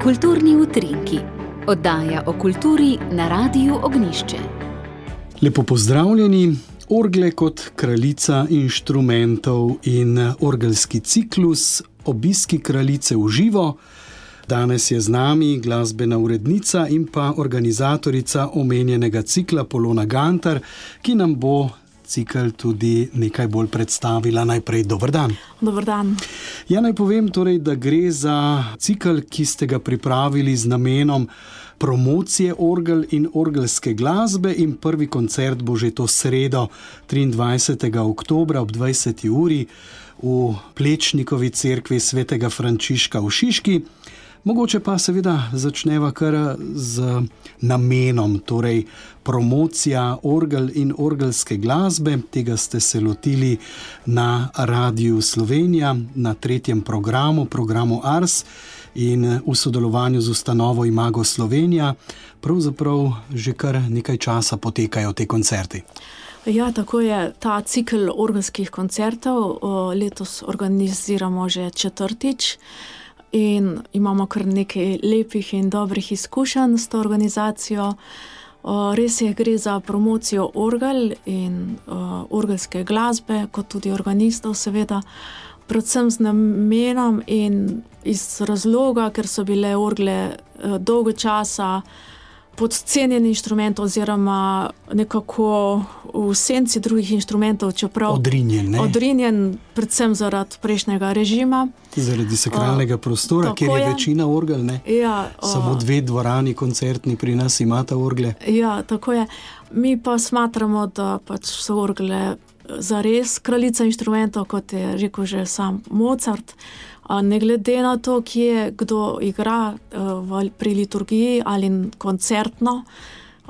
Kulturni utrinki. Oddaja o kulturi na Radiu Ognjišče. Lepo pozdravljeni. Orgle kot kraljica inštrumentov in orgelski ciklus Obiski kraljice v živo. Danes je z nami glasbena urednica in pa organizatorica omenjenega cikla Polona Gantar, ki nam bo cikel tudi nekaj bolj predstavila. Najprej dober dan. Dober dan. Ja, naj povem torej, da gre za cikel, ki ste ga pripravili z namenom promocije orgel in orgelske glasbe, in prvi koncert bo že to sredo 23. oktobra ob 20. uri v Plečnikovi cerkvi svetega Frančiška v Šiški. Mogoče pa seveda začneva kar z namenom, torej promocija orgel in orgelske glasbe. Tega ste se lotili na Radiu Slovenija, na 3. programu Ars in v sodelovanju z ustanovo Imago Slovenija. Pravzaprav že kar nekaj časa potekajo te koncerti. Ja, tako je. Ta cikel orgelskih koncertov letos organiziramo že 4. in imamo kar nekaj lepih in dobrih izkušenj s to organizacijo. Res je, gre za promocijo orgel in orgelske glasbe, kot tudi organistov seveda, predvsem z namenom in iz razloga, ker so bile orgle dolgo časa podcenjeni inštrument oziroma nekako v senci drugih inštrumentov, čeprav odrinjen predvsem zaradi prejšnjega režima. Zaradi sakralnega prostora, kjer je večina orgel, ne? Ja, samo 2 dvorani koncertni pri nas imata orgle. Ja, tako je. Mi pa smatramo, da pač so orgle zares kraljica inštrumentov, kot je rekel že sam Mozart. Ne glede na to, kje kdo igra pri liturgiji ali koncertno,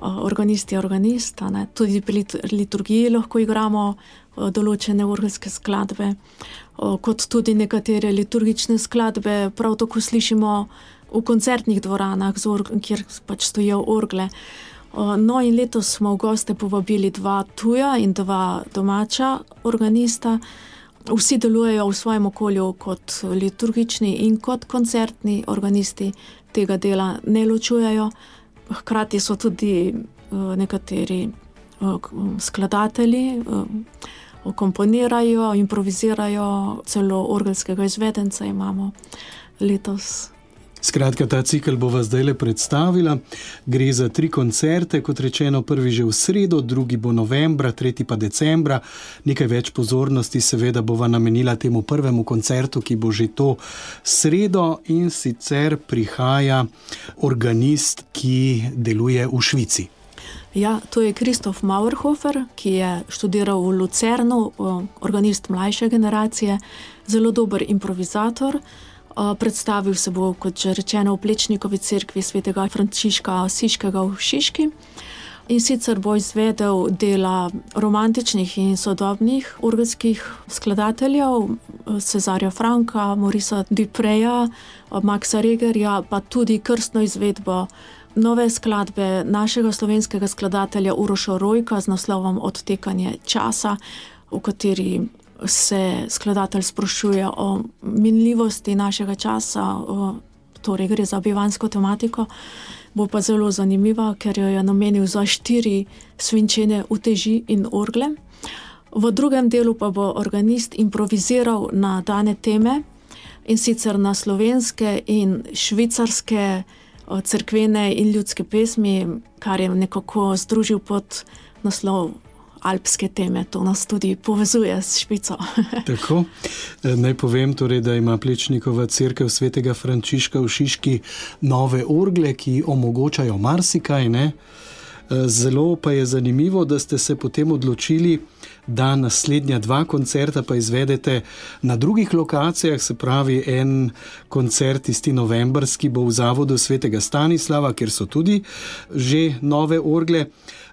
organist je organist, ne? Tudi pri liturgiji lahko igramo določene orgelske skladbe, kot tudi nekatere liturgične skladbe prav tako slišimo v koncertnih dvoranah, kjer pač stojijo orgle. No, in letos smo v goste povabili 2 tuja in 2 domača organista. Vsi delujejo v svojem okolju kot liturgični in kot koncertni organisti, tega dela ne ločujejo. Hkrati so tudi nekateri skladatelji, komponirajo, improvizirajo, celo orgelskega izvedenca imamo letos. Skratka, ta cikel bova zdajle predstavila. Gre za 3 koncerte, kot rečeno, prvi že v sredo, drugi bo novembra, 3. pa decembra. Nekaj več pozornosti seveda bova namenila temu prvemu koncertu, ki bo že to sredo, in sicer prihaja organist, ki deluje v Švici. Ja, to je Christoph Mauerhofer, ki je študiral v Lucernu, organist mlajše generacije, zelo dober improvizator. Predstavil se bo, kot že rečeno, v Plečnikovi cerkvi svetega Frančiška Asiškega v Šiški, in sicer bo izvedel dela romantičnih in sodobnih orgelskih skladateljev, Cezarja Franka, Maurica Dupreja, Maxa Regerja, pa tudi krstno izvedbo nove skladbe našega slovenskega skladatelja Uroša Rojka z naslovom Odtekanje časa, v kateri se skladatelj sprašuje o minljivosti našega časa, torej gre za bivanjsko tematiko. Bo pa zelo zanimiva, ker jo je namenil za 4 svinčene uteži in orgle. V drugem delu pa bo organist improviziral na dane teme, in sicer na slovenske in švicarske cerkvene in ljudske pesmi, kar je nekako združil pod naslov alpske teme. To nas tudi povezuje s Švico. Tako. Naj povem torej, da ima Plečnikova cerkev svetega Frančiška v Šiški nove orgle, ki omogočajo marsikaj, ne? Zelo pa je zanimivo, da ste se potem odločili, da naslednja 2 koncerta pa izvedete na drugih lokacijah, se pravi en koncert tisti novembrski bo v zavodu svetega Stanislava, kjer so tudi že nove orgle,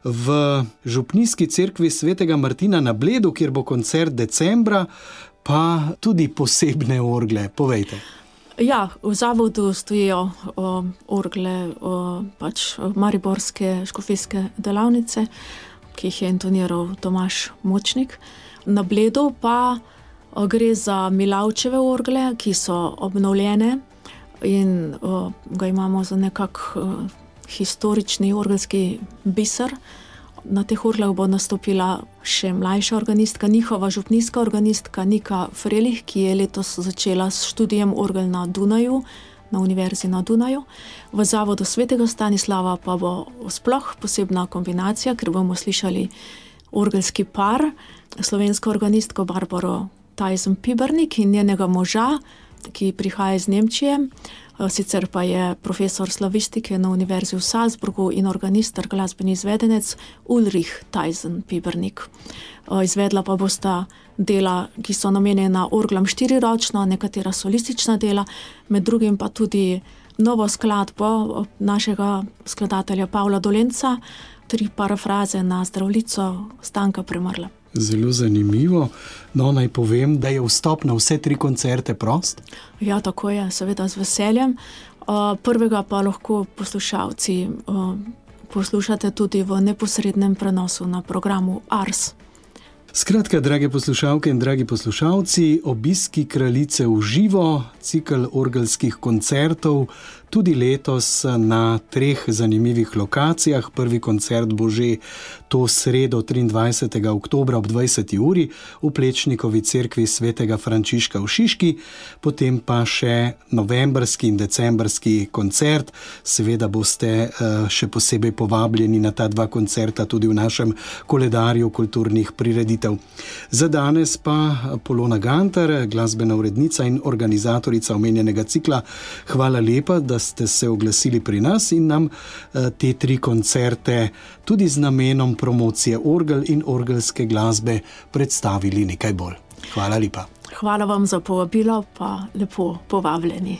v župnijski cerkvi svetega Martina na Bledu, kjer bo koncert decembra, pa tudi posebne orgle. Povejte. Ja, v zavodu stojijo orgle pač mariborske škofijske delavnice, ki jih je intoniral Tomaž Močnik. Na Bledu pa Gre za Milavčeve orgle, ki so obnovljene in ga imamo za historični orgelski biser. Na teh orglah bo nastopila še mlajša organistka, njihova župnijska organistka Nika Frelih, ki je letos začela s študijem orgel na Dunaju, na Univerzi na Dunaju. V Zavodu Svetega Stanislava pa bo sploh posebna kombinacija, ker bomo slišali orgelski par, slovensko organistko Barbaro Tajzen-Pibernik in njenega moža, ki prihaja iz Nemčije, sicer pa je profesor slavistike na Univerzi v Salzburgu in organist ter glasbeni izvedenec Ulrich Tajzen-Pibernik. Izvedla pa bosta dela, ki so namenjena orglam štiriročno, nekatera solistična dela, med drugim pa tudi novo skladbo našega skladatelja Pavla Dolenca, 3 parafraze na Zdravljico Stanka Premrla. Zelo zanimivo. No, naj povem, da je vstop na vse 3 koncerte prost? Ja, tako je, seveda z veseljem. Prvega pa lahko poslušalci poslušate tudi v neposrednem prenosu na programu Ars. Skratka, drage poslušalke in dragi poslušalci, obiski Kraljice v živo, cikel orgelskih koncertov, tudi letos na 3 zanimivih lokacijah. Prvi koncert bo že to sredo 23. oktobra ob 20. uri v Plečnikovi cerkvi svetega Frančiška v Šiški, potem pa še novembrski in decembrski koncert. Seveda boste še posebej povabljeni na ta 2 koncerta tudi v našem koledarju kulturnih prireditev. Za danes pa Polona Gantar, glasbena urednica in organizatorica omenjenega cikla, hvala lepa, da ste se oglasili pri nas in nam te 3 koncerte tudi z namenom promocije orgel in orgelske glasbe predstavili nekaj bolj. Hvala lepa. Hvala vam za povabilo, pa lepo povabljeni.